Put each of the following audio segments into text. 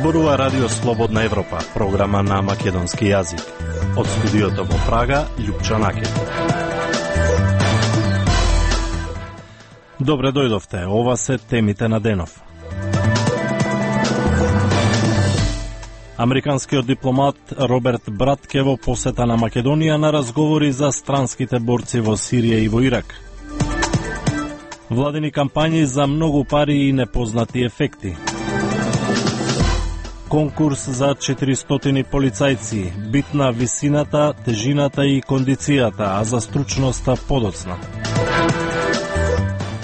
зборува Радио Слободна Европа, програма на македонски јазик. Од студиото во Прага, Љупчо Накет. Добре дојдовте, ова се темите на денов. Американскиот дипломат Роберт Братке во посета на Македонија на разговори за странските борци во Сирија и во Ирак. Владини кампањи за многу пари и непознати ефекти. Конкурс за 400 полицајци, битна висината, тежината и кондицијата, а за стручноста подоцна.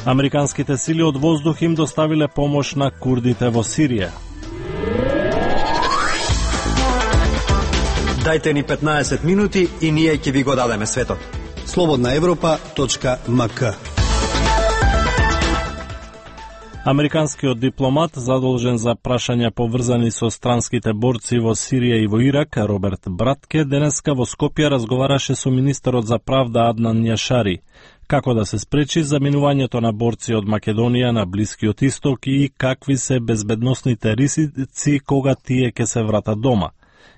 Американските сили од воздух им доставиле помош на курдите во Сирија. Дајте ни 15 минути и ние ќе ви го дадеме светот. slobodnaevropa.mk. Американскиот дипломат задолжен за прашања поврзани со странските борци во Сирија и во Ирак, Роберт Братке, денеска во Скопје разговараше со министерот за правда Аднан Јашари, како да се спречи заминувањето на борци од Македонија на Блискиот Исток и какви се безбедносните ризици кога тие ќе се вратат дома,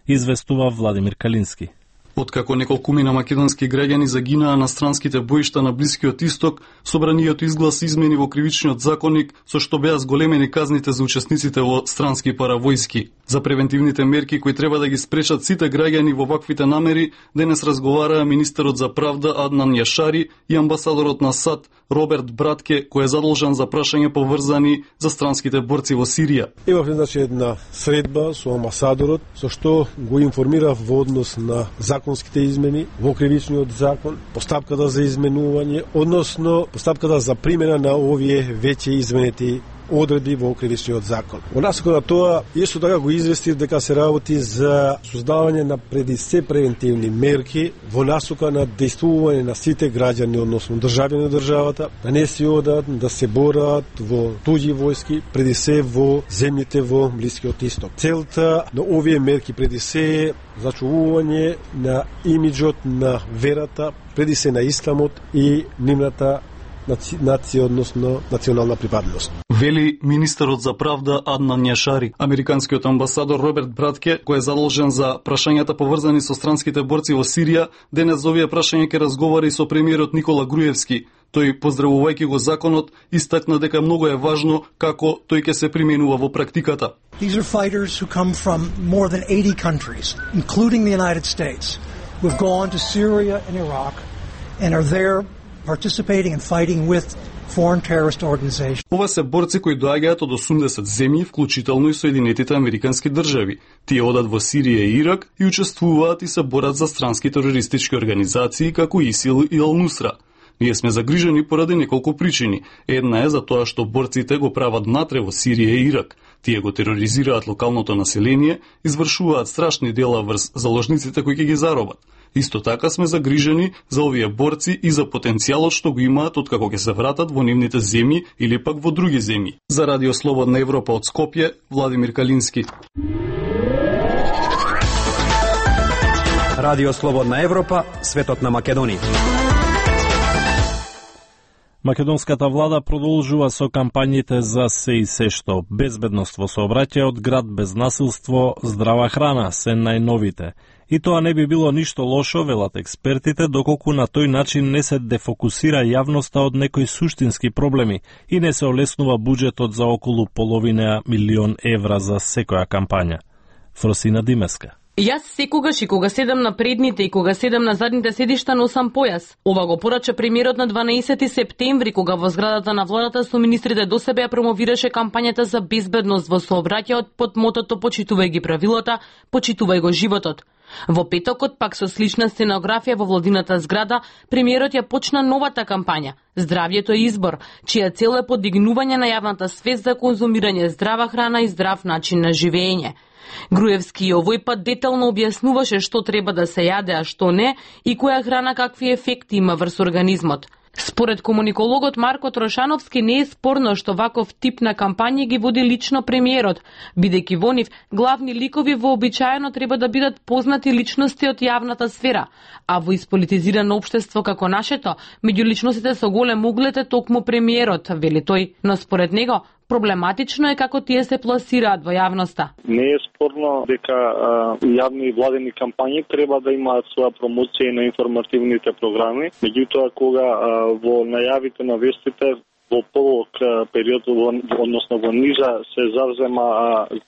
известува Владимир Калински. Откако неколкумина македонски граѓани загинаа на странските боишта на Блискиот Исток, собранието изгласи измени во кривичниот законник со што беа зголемени казните за учесниците во странски паравојски. За превентивните мерки кои треба да ги спречат сите граѓани во ваквите намери, денес разговараа министерот за правда Аднан Јашари и амбасадорот на САД Роберт Братке, кој е задолжен за прашања поврзани за странските борци во Сирија. Имавме една средба со амбасадорот, со што го информирав во однос на законските измени во кривичниот закон, постапката за изменување, односно постапката за примена на овие веќе изменети одредби во кривичниот закон. Во насока на тоа, исто така го известив дека се работи за создавање на преди се превентивни мерки во насока на дејствување на сите граѓани, односно државјани на државата, да не се одат, да се борат во туѓи војски, преди се во земјите во Блискиот Исток. Целта на овие мерки преди се е зачувување на имиџот на верата, преди се на исламот и нивната нација, односно национална припадност. Вели министерот за правда Аднан Јашари. Американскиот амбасадор Роберт Братке, кој е задолжен за прашањата поврзани со странските борци во Сирија, денес за овие прашања ќе разговара и со премиерот Никола Груевски. Тој, поздравувајќи го законот, истакна дека многу е важно како тој ќе се применува во практиката. These are fighters who come from more than 80 countries, including the United States, who have gone to Syria and Iraq and are there participating and fighting with foreign terrorist organizations. Ова се борци кои доаѓаат од 80 земји, вклучително и Соединетите американски држави. Тие одат во Сирија и Ирак и учествуваат и се борат за странски терористички организации како ИСИЛ и Ал-Нусра. Ние сме загрижени поради неколку причини. Една е за тоа што борците го прават натре во Сирија и Ирак. Тие го тероризираат локалното население, извршуваат страшни дела врз заложниците кои ќе ги заробат. Исто така сме загрижени за овие борци и за потенцијалот што го имаат откако ќе се вратат во нивните земји или пак во други земји. За Радио Слободна Европа од Скопје, Владимир Калински. Радио Слободна Европа, светот на Македонија. Македонската влада продолжува со кампањите за се и се што безбедност во сообраќајот, град без насилство, здрава храна се најновите. И тоа не би било ништо лошо, велат експертите, доколку на тој начин не се дефокусира јавноста од некои суштински проблеми и не се олеснува буџетот за околу половина милион евра за секоја кампања. Фросина Димеска. Јас секогаш и кога седам на предните и кога седам на задните седишта носам појас. Ова го порача премиерот на 12 септември, кога во зградата на владата со министрите до себе ја промовираше кампањата за безбедност во сообраќајот под мотото почитувај ги правилата, почитувај го животот. Во петокот, пак со слична сценографија во владината зграда, премиерот ја почна новата кампања «Здравјето е избор», чија цел е подигнување на јавната свест за конзумирање здрава храна и здрав начин на живење. Груевски овој пат детално објаснуваше што треба да се јаде, а што не, и која храна какви ефекти има врз организмот. Според комуникологот Марко Трошановски не е спорно што ваков тип на кампањи ги води лично премиерот, бидејќи во нив главни ликови вообичаено треба да бидат познати личности од јавната сфера, а во исполитизирано општество како нашето, меѓу личностите со голем углед е токму премиерот, вели тој, но според него Проблематично е како тие се пласираат во јавноста. Не е спорно дека јавни и владени кампањи треба да имаат своја промоција на информативните програми, меѓутоа кога во најавите на вестите во подолг период, односно во нижа,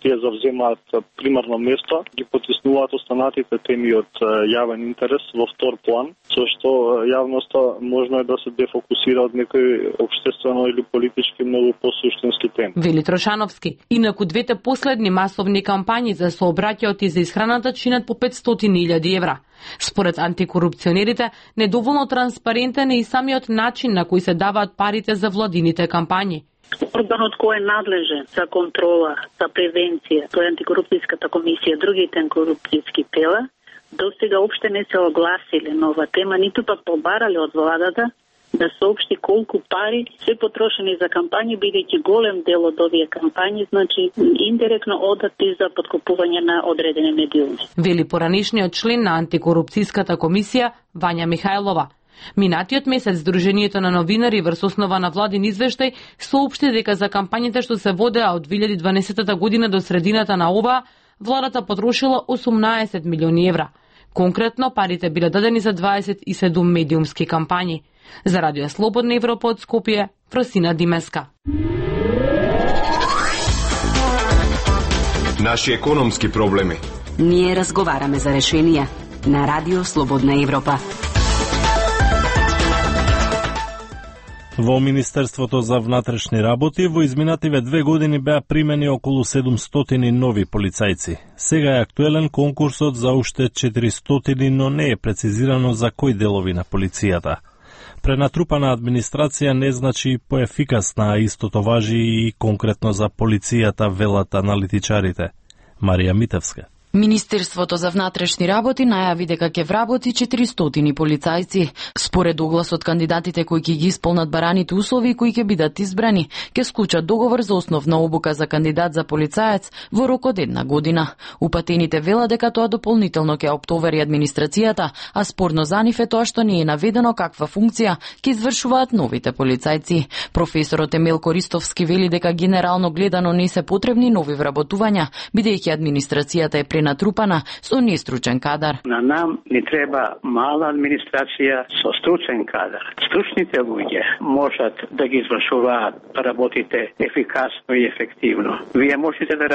тие завземаат примарно место, ги потиснуваат останатите теми од јавен интерес во втор план, со што јавноста можно е да се дефокусира од некои општествено или политички многу посуштински теми. Вели Трошановски. Инаку двете последни масовни кампањи за сообраќајот и за исхраната чинат по 500.000 евра. Според антикорупционерите, недоволно транспарентен е и самиот начин на кој се даваат парите за владините кампањи. Органот кој е надлежен за контрола, за превенција, тоа е антикорупцијската комисија, другите антикорупцијски тела, достига опште не се огласиле на ова тема, ниту пак побарале од владата да соопшти колку пари се потрошени за кампањи, бидејќи голем дел од овие кампањи, значи индиректно одат и за подкупување на одредени медиуми. Вели поранишниот член на антикорупцијската комисија Вања Михајлова. Минатиот месец Сдруженијето на новинари врз основа на владин извештај соопшти дека за кампањите што се водеа од 2012 година до средината на оваа, владата потрошила 18 милиони евра. Конкретно, парите биле дадени за 27 медиумски кампањи. За Радио Слободна Европа од Скопје, Фросина Димеска. Наши економски проблеми. Ние разговараме за решенија на Радио Слободна Европа. Во Министерството за внатрешни работи во изминативе 2 години беа примени околу 700 нови полицајци. Сега е актуелен конкурсот за уште 400, но не е прецизирано за кои делови на полицијата. Пренатрупана администрација не значи поефикасна, а истото важи и конкретно за полицијата, велат аналитичарите. Марија Митевска. Министерството за внатрешни работи најави дека ќе вработи 400 полицајци. Според огласот, кандидатите кои ќе ги исполнат бараните услови и кои ќе бидат избрани, ќе склучат договор за основна обука за кандидат за полицаец во рок од 1 година. Упатените вела дека тоа дополнително ќе оптовари администрацијата, а спорно за нив е тоа што не е наведено каква функција ќе извршуваат новите полицајци. Професорот Емел Користовски вели дека генерално гледано не се потребни нови вработувања, бидејќи администрацијата е пренатрупана со нестручен кадар. На нам ни треба мала администрација со стручен кадар. Стручните луѓе можат да ги извршуваат работите ефикасно и ефективно. Вие можете да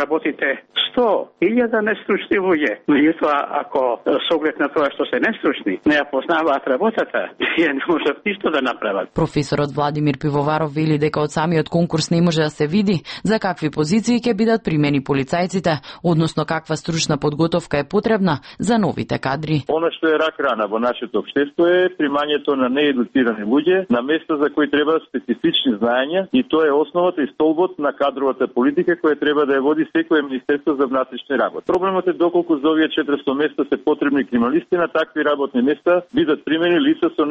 работите 100.000 нестручни луѓе, меѓутоа ако со оглед на тоа што се нестручни, не ја познаваат работата, тие не можат ништо да направат. Професорот Владимир Пивоваров вели дека од самиот конкурс не може да се види за какви позиции ќе бидат примени полицајците, односно каква стручна подготовка е потребна за новите кадри. Она што е рак рана во нашето општество е примањето на неедуцирани луѓе на места за кои треба специфични знаења, и тоа е основата и столбот на кадровата политика која треба да ја води секое Министерство за внатрешни работи. Проблемот е доколку за овие 400 места се потребни криминалисти, на такви работни места бидат примени лица со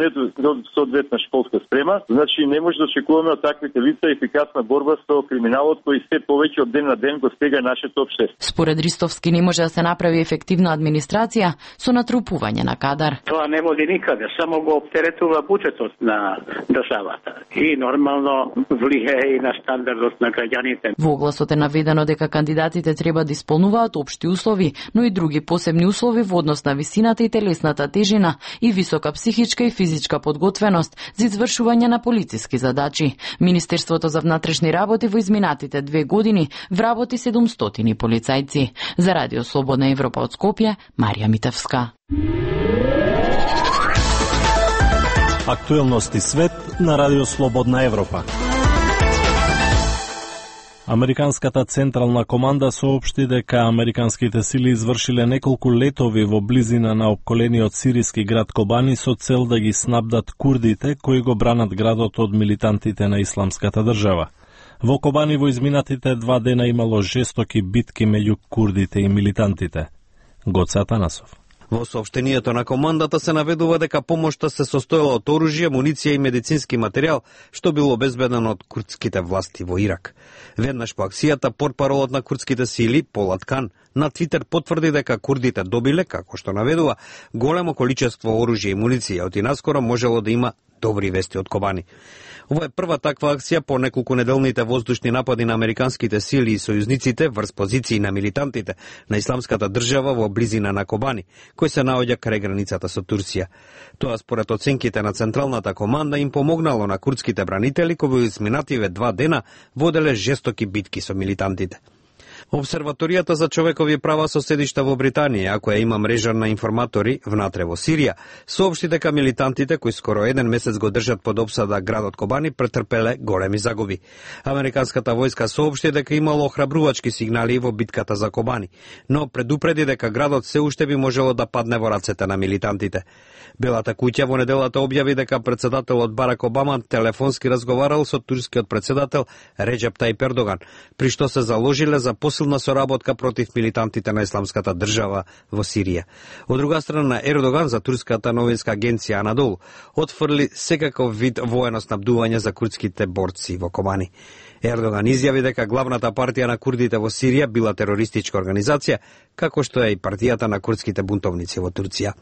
соодветна школска спрема, значи не може да очекуваме од таквите лица ефикасна борба со криминалот кој се повеќе од ден на ден го стега нашето општество. Според Ристовски не може да се направи ефективна администрација со натрупување на кадар. Тоа не води никаде, само го оптеретува буџетот на државата и нормално влијае и на стандардот на граѓаните. Во огласот е наведено дека кандидатите треба да исполнуваат општи услови, но и други посебни услови во однос на висината и телесната тежина и висока психичка и физичка подготвеност за извршување на полициски задачи. Министерството за внатрешни работи во изминатите 2 години вработи 700 полицајци. За Радио Слободна Европа од Скопје, Марија Митевска. Актуелности свет на Радио Слободна Европа. Американската централна команда соопшти дека американските сили извршиле неколку летови во близина на опколениот сириски град Кобани со цел да ги снабдат курдите кои го бранат градот од милитантите на исламската држава. Во Кобани во изминатите 2 дена имало жестоки битки меѓу курдите и милитантите. Гоце Атанасов. Во соопштението на командата се наведува дека помошта се состоела од оружје, муниција и медицински материјал, што било обезбедено од курдските власти во Ирак. Веднаш по акцијата, портпаролот на курдските сили, Полат Кан, на Твитер потврди дека курдите добиле, како што наведува, големо количество оружје и муниција, од и наскоро можело да има добри вести од Кобани. Ова е прва таква акција по неколку неделните воздушни напади на американските сили и сојузниците врз позиции на милитантите на Исламската држава во близина на Кобани, кој се наоѓа крај границата со Турција. Тоа според оценките на Централната команда им помогнало на курдските бранители кои во изминативе 2 дена воделе жестоки битки со милитантите. Обсерваторијата за човекови права со седишта во Британија, а која има мрежа на информатори внатре во Сирија, соопшти дека милитантите кои скоро 1 месец го држат под опсада градот Кобани претрпеле големи загуби. Американската војска соопшти дека имало охрабрувачки сигнали во битката за Кобани, но предупреди дека градот се уште би можело да падне во рацете на милитантите. Белата куќа во неделата објави дека председателот Барак Обама телефонски разговарал со турскиот председател Реджеп Тајип Ердоган, при што се заложиле за посилна соработка против милитантите на Исламската држава во Сирија. Од друга страна, Ердоган за турската новинска агенција Анадолу отфрли секаков вид воено снабдување за курдските борци во Кобани. Ердоган изјави дека главната партија на курдите во Сирија била терористичка организација, како што е и партијата на курдските бунтовници во Турција.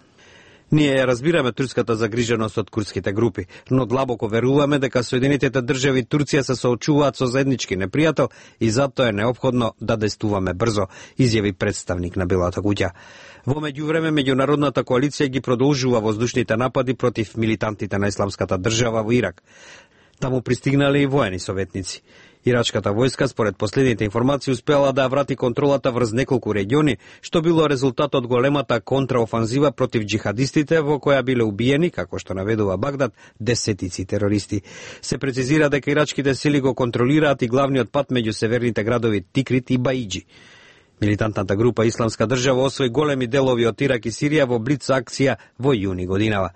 Ние ја разбираме турската загриженост од курдските групи, но длабоко веруваме дека Соединетите држави Турција се соочуваат со заеднички непријател и затоа е неопходно да действуваме брзо, изјави представник на Белата куќа. Во меѓувреме, меѓународната коалиција ги продолжува воздушните напади против милитантите на Исламската држава во Ирак. Таму пристигнале и воени советници. Ирачката војска, според последните информации, успела да врати контролата врз неколку региони, што било резултат од големата контраофанзива против джихадистите, во која биле убиени, како што наведува Багдад, десетици терористи. Се прецизира дека ирачките сили го контролираат и главниот пат меѓу северните градови Тикрит и Баиджи. Милитантната група Исламска држава освои големи делови од Ирак и Сирија во блиц акција во јуни годинава.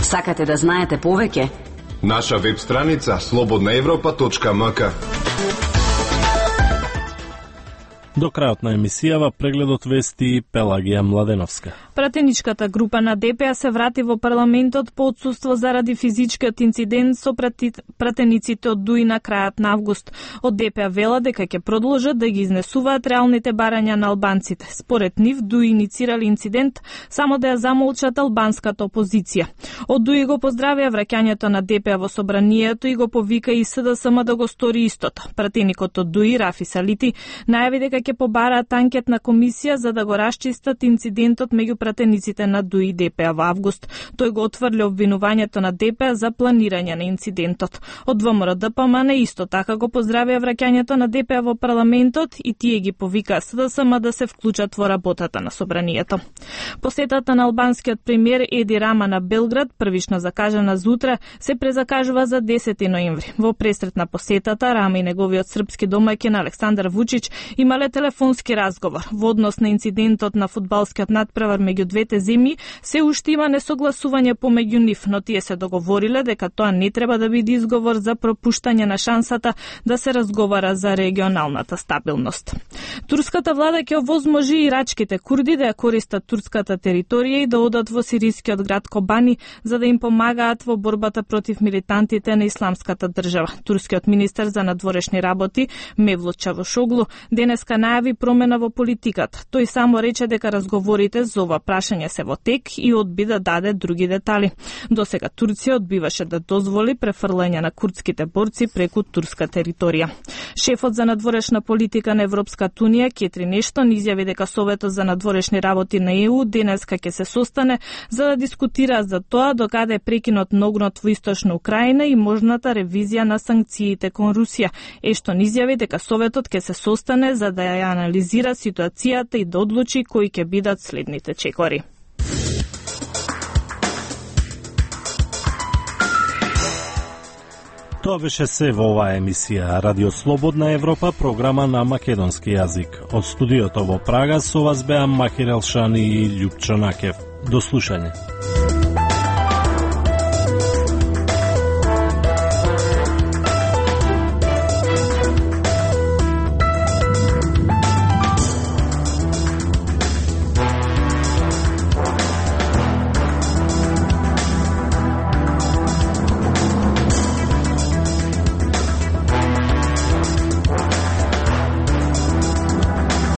Сакате да знаете повеќе? Наша веб страница slobodnaevropa.mk. До крајот на емисијава прегледот вести Пелагија Младеновска. Пратеничката група на ДПА се врати во парламентот по отсуство заради физичкиот инцидент со пратениците од ДУИ на крајот на август. Од ДПА вела дека ќе продолжат да ги изнесуваат реалните барања на албанците. Според нив, ДУИ иницирали инцидент само да ја замолчат албанската опозиција. Од ДУИ го поздравија враќањето на ДПА во собранието и го повика и СДСМ да го стори истото. Пратеникот од ДУИ, Рафи Салити, најави дека ќе побараат анкетна комисија за да го расчистат инцидентот меѓу пратениците на ДУИ и ДПА во август. Тој го отфрли обвинувањето на ДПА за планирање на инцидентот. Од ВМРО ДПМН исто така го поздравија враќањето на ДПА во парламентот и тие ги повикаа СДСМ да се вклучат во работата на собранието. Посетата на албанскиот премиер Еди Рама на Белград, првично закажана за утре, се презакажува за 10 ноември. Во пресрет на посетата, Рама и неговиот српски домаќин Александар Вучич имале телефонски разговор. Во однос на инцидентот на фудбалскиот надпревар меѓу двете земји, се уште има несогласување помеѓу нив, но тие се договориле дека тоа не треба да биде изговор за пропуштање на шансата да се разговара за регионалната стабилност. Турската влада ќе овозможи ирачките курди да ја користат турската територија и да одат во сирискиот град Кобани за да им помагаат во борбата против милитантите на Исламската држава. Турскиот министер за надворешни работи Мевлут Чавушоглу денеска најави промена во политиката. Тој само рече дека разговорите за ова прашање се во тек и одби да даде други детали. Досега Турција одбиваше да дозволи префрлање на курдските борци преку турска територија. Шефот за надворешна политика на Европската унија Кетри Нештон изјави дека Советот за надворешни работи на ЕУ денеска ќе се состане за да дискутира за тоа докаде е прекинот на огнот во источна Украина и можната ревизија на санкциите кон Русија. Ештон изјави дека Советот ќе се состане за да ја анализира ситуацијата и да одлучи кои ќе бидат следните чекори. Тоа беше се во оваа емисија Радио Слободна Европа, програма на македонски јазик. Од студиото во Прага со вас беа Махир Елшани и Љупчо Накев. До слушање.